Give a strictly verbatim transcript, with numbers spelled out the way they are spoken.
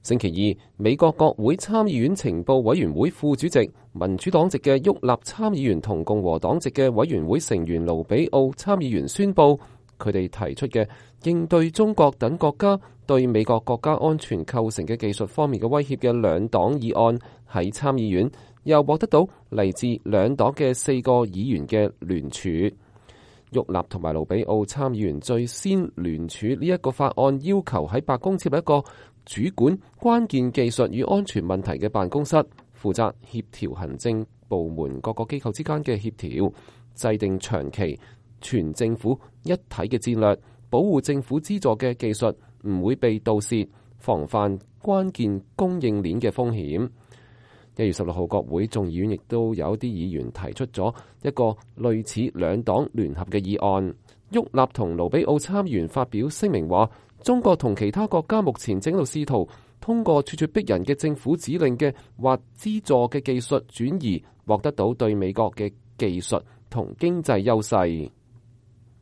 星期二，美國國會參議院情報委員會副主席、民主黨籍嘅沃納參議員同共和黨籍嘅委員會成員盧比奧參議員宣布，佢哋提出嘅應對中國等國家對美國國家安全構成嘅技術方面嘅威脅嘅兩黨議案喺參議院又獲得到嚟自兩黨嘅四個議員嘅聯署。沃納同埋盧比奧參議員最先聯署呢一個法案，要求喺白宮設立一個主管關鍵技術與安全問題嘅辦公室，負責協調行政部門各個機構之間嘅協調，制定長期全政府一體嘅戰略，保護政府資助嘅技術唔會被盜竊，防範關鍵供應鏈嘅風險。一月十六號，國會眾議院亦都有啲議員提出咗一個類似兩黨聯合嘅議案。沃納同盧比奧參議員發表聲明話，中國同其他國家目前正喺度試圖通過咄咄逼人嘅政府指令嘅或資助嘅技術轉移，獲得到對美國嘅技術同經濟優勢。